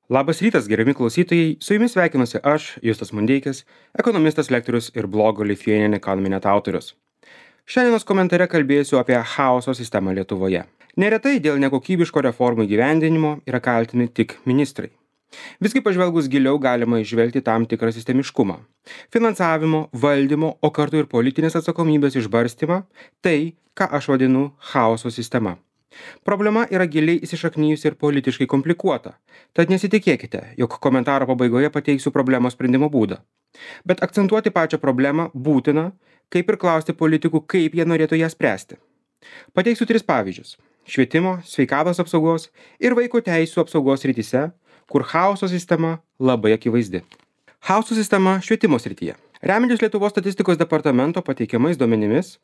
Labas rytas, gerbiami klausytojai, su jumis sveikinuosi aš, Justas Mundeikis, ekonomistas, lektorius ir blogo Lithuanian Economy Net autorius. Šiandienos komentare kalbėsiu apie chaoso sistemą Lietuvoje. Neretai dėl nekokybiško reformų įgyvendinimo yra kaltini tik ministrai. Visgi pažvelgus giliau galima išvelgti tam tikrą sistemiškumą. Finansavimo, valdymo, o kartu ir politinės atsakomybės išbarstymą - tai, ką aš vadinu chaoso sistema. Problema yra giliai įsišaknyjusi ir politiškai komplikuota, tad nesitikėkite, jog komentaro pabaigoje pateiksiu problemos sprendimo būdą. Bet akcentuoti pačią problemą būtina, kaip ir klausti politikų, kaip jie norėtų ją spręsti. Pateiksiu 3 pavyzdžius - švietimo, sveikatos apsaugos ir vaiko teisų apsaugos srityse, kur chaoso sistema labai akivaizdi. Chaoso sistema švietimo srityje. Remiantis Lietuvos statistikos departamento pateikiamais duomenimis,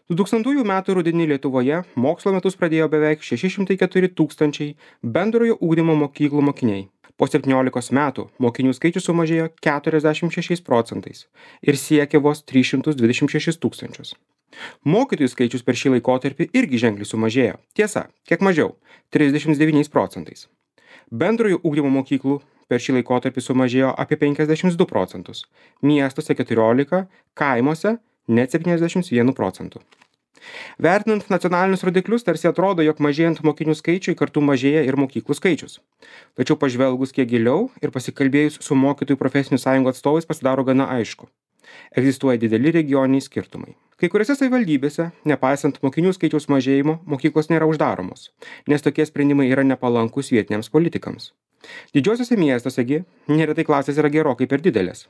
2000 metų rudenį Lietuvoje mokslo metus pradėjo beveik 604 tūkstančiai bendrojo ugdymo mokyklų mokiniai. Po 17 metų mokinių skaičius sumažėjo 46 procentais ir siekė vos 326 tūkstančius. Mokytojų skaičius per šį laikotarpį irgi ženkliai sumažėjo. Tiesa, kiek mažiau - 39 procentais. Bendrojo ugdymo mokyklų per šį laikotarpį sumažėjo apie 52 procentus, miestuose 14, kaimuose net 71 procentų. Vertinant nacionalinius rodiklius, tarsi atrodo, jog mažėjant mokinių skaičiui kartu mažėja ir mokyklų skaičius. Tačiau pažvelgus kiek giliau ir pasikalbėjus su mokytojų profesinių sąjungų atstovais pasidaro gana aišku. Egzistuoja dideli regioniniai skirtumai. Kai kuriuose savivaldybėse, nepaisant mokinių skaičiaus mažėjimo, mokyklos nėra uždaromos, nes tokie sprendimai yra nepalankus vietiniams politikams. Didžiuosiuose miestuosegi neretai klasės yra gerokai per didelės.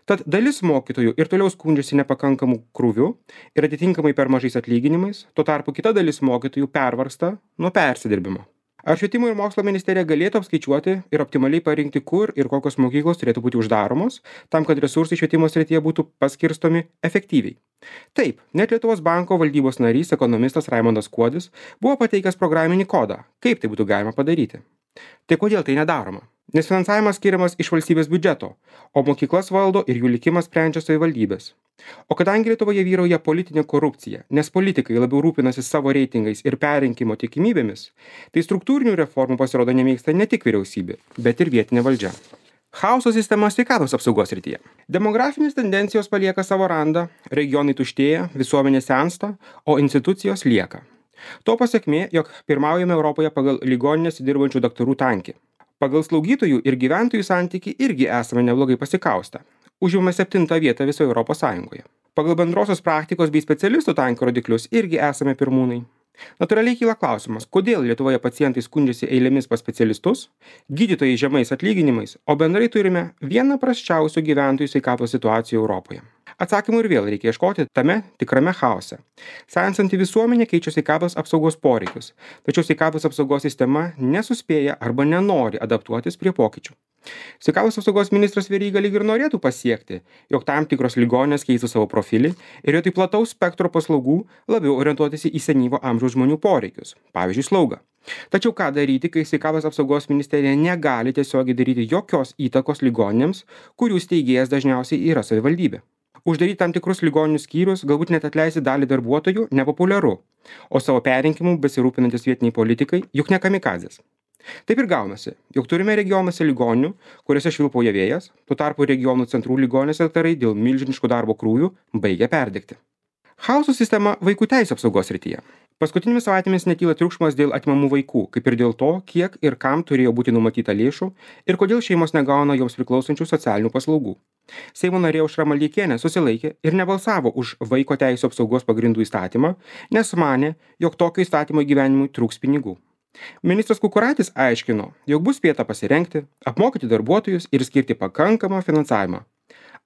Tad dalis mokytojų ir toliau skundžiasi nepakankamų krūvių ir atitinkamai per mažais atlyginimais, tuo tarpu kita dalis mokytojų pervargsta nuo persidirbimo. Ar švietimo ir mokslo ministerija galėtų apskaičiuoti ir optimaliai parinkti, kur ir kokios mokyklos turėtų būti uždaromos, tam, kad resursai švietimo srityje būtų paskirstomi efektyviai? Taip, net Lietuvos banko valdybos narys, ekonomistas Raimondas Kuodis buvo pateikęs programinį kodą, kaip tai būtų galima padaryti. Tai kodėl tai nedaroma? Nes finansavimas skiriamas iš valstybės biudžeto, o mokyklas valdo ir jų likimas sprendžia savivaldybės. O kadangi Lietuvoje vyrauja politinė korupcija, nes politikai labiau rūpinasi savo reitingais ir perrinkimo tikimybėmis, tai struktūrinių reformų pasirodo nemėgsta ne tik vyriausybė, bet ir vietinė valdžia. Chaoso sistema sveikatos apsaugos srityje. Demografinės tendencijos palieka savo randą, regionai tuštėja, visuomenė sensta, o institucijos lieka. To pasekmė, jog pirmaujame Europoje pagal ligoninėse dirbančių daktarų tankį. Pagal slaugytojų ir gyventojų santykį irgi esame neblogai pasikaustę. Užimame 7 vietą visoje Europos Sąjungoje. Pagal bendrosios praktikos bei specialistų tankio rodiklius irgi esame pirmūnai. Natūraliai kyla klausimas, kodėl Lietuvoje pacientai skundžiasi eilėmis pas specialistus, gydytojai žemais atlyginimais, o bendrai turime vieną prasčiausių gyventojų sveikatos situacijų Europoje. Atsakymų ir vėl reikia ieškoti tame tikrame chaose. Sensanti visuomenė keičia sveikatos apsaugos poreikius, tačiau sveikatos apsaugos sistema nesuspėja arba nenori adaptuotis prie pokyčių. Sveikatos apsaugos ministras Veryga lyg ir norėtų pasiekti, jog tam tikros ligoninės keistų savo profilį ir vietoj plataus spektro paslaugų labiau orientuotųsi į senyvo amžiaus žmonių poreikius, pavyzdžiui, slaugą. Tačiau ką daryti, kai sveikatos apsaugos ministerija negali tiesiogiai daryti jokios įtakos ligoninėms, kurių steigėjas dažniausiai yra savivaldybė? Uždaryti tam tikrus ligoninių skyrius, galbūt net atleisti dalį darbuotojų nepopuliaru, o savo perrinkimu besirūpinantis vietiniai politikai juk ne kamikadzės. Taip ir gaunasi, jog turime regionuose ligoninių, kuriuose švilpauja vėjas, tuo tarpu regionų centrų ligoninėse daktarai dėl milžiniškų darbo krūvių baigia perdegti. Chaoso sistema vaikų teisų apsaugos srityje. Paskutinėmis savaitėmis netyla triukšmas dėl atimamų vaikų, kaip ir dėl to, kiek ir kam turėjo būti numatyta lėšų ir kodėl šeimos negauna joms priklausančių socialinių paslaugų. Seimo narė Aušra Maldeikienė susilaikė ir nebalsavo už vaiko teisų apsaugos pagrindų įstatymą, nes manė, jog tokio įstatymo įgyvenimui trūks pinigų. Ministras Kukuraitis aiškino, jog bus spėta pasirengti, apmokyti darbuotojus ir skirti pakankamą finansavimą.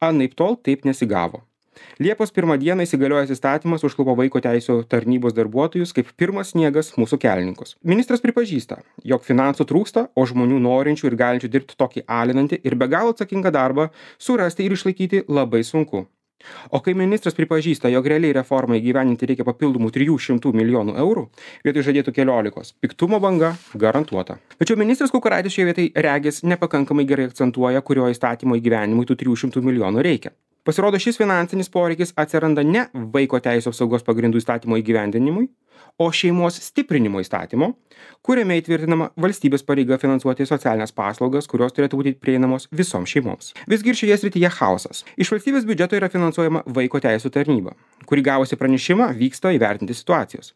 Anaiptol taip nesigavo. Liepos 1 dieną įsigaliojęs įstatymas užklupo vaiko teisų tarnybos darbuotojus kaip pirmas sniegas mūsų kelininkus. Ministras pripažįsta, jog finansų trūksta, o žmonių norinčių ir galinčių dirbti tokį alinantį ir be galo atsakingą darbą surasti ir išlaikyti labai sunku. O kai ministras pripažįsta, jog realiai reformai įgyvendinti reikia papildomų 300 milijonų eurų, vietoj žadėtų 14, piktumo banga garantuota. Tačiau ministras Kukuraitis šioje vietoje regis nepakankamai gerai akcentuoja, kurio įstatymo įgyvendinimui tų 300 milijonų reikia. Pasirodo, šis finansinis poreikis atsiranda ne vaiko teisų apsaugos pagrindų įstatymo įgyvendinimui, o šeimos stiprinimo įstatymo, kuriame įtvirtinama valstybės pareiga finansuoti socialinės paslaugas, kurios turėtų būti prieinamos visoms šeimoms. Visgi ir šioje srityje chaosas. Iš valstybės biudžeto yra finansuojama vaiko teisų tarnyba, kuri gavusi pranešimą vyksta įvertinti situacijos.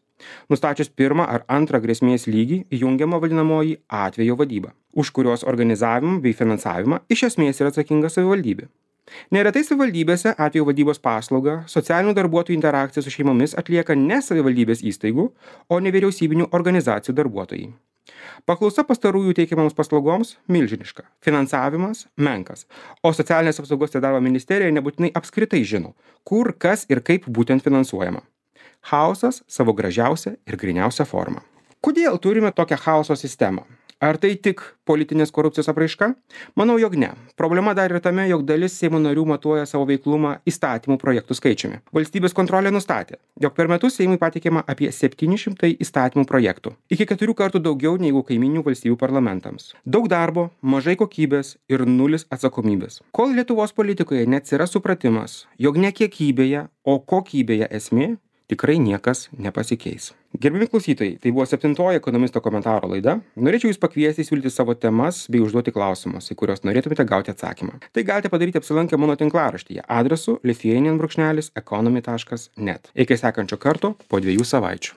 Nustačius pirmą ar antrą grėsmės lygį, jungiama vadinamoji atvejo vadyba, už kurios organizavimą bei finansavimą iš esmės yra atsakinga savivaldybė. Neretai savivaldybėse atvejo vadybos paslaugą socialinių darbuotojų interakciją su šeimomis atlieka ne savivaldybės įstaigų, o nevyriausybinių organizacijų darbuotojai. Paklausa pastarųjų teikiamoms paslaugoms milžiniška, finansavimas menkas, o socialinės apsaugos ir darbo ministerija nebūtinai apskritai žino, kur, kas ir kaip būtent finansuojama. Chaosas savo gražiausią ir gryniausią formą. Kodėl turime tokią chaoso sistemą? Ar tai tik politinės korupcijos apraiška? Manau, jog ne. Problema dar ir tame, jog dalis Seimo narių matuoja savo veiklumą įstatymų projektų skaičiumi. Valstybės kontrolė nustatė, jog per metus Seimui pateikiama apie 700 įstatymų projektų. Iki 4 kartų daugiau negu kaiminių valstybių parlamentams. Daug darbo, mažai kokybės ir nulis atsakomybės. Kol Lietuvos politikoje neatsiras supratimas, jog ne kiekybėje, o kokybėje esmė, tikrai niekas nepasikeis. Gerbiami klausytojai, tai buvo 7-oji ekonomisto komentaro laida. Norėčiau jūs pakviesti siūlyti savo temas bei užduoti klausimus, į kuriuos norėtumėte gauti atsakymą. Tai galite padaryti apsilankę mano tinklaraštyje adresu lithuanian_economy.net. Iki sekančio karto po 2 savaičių.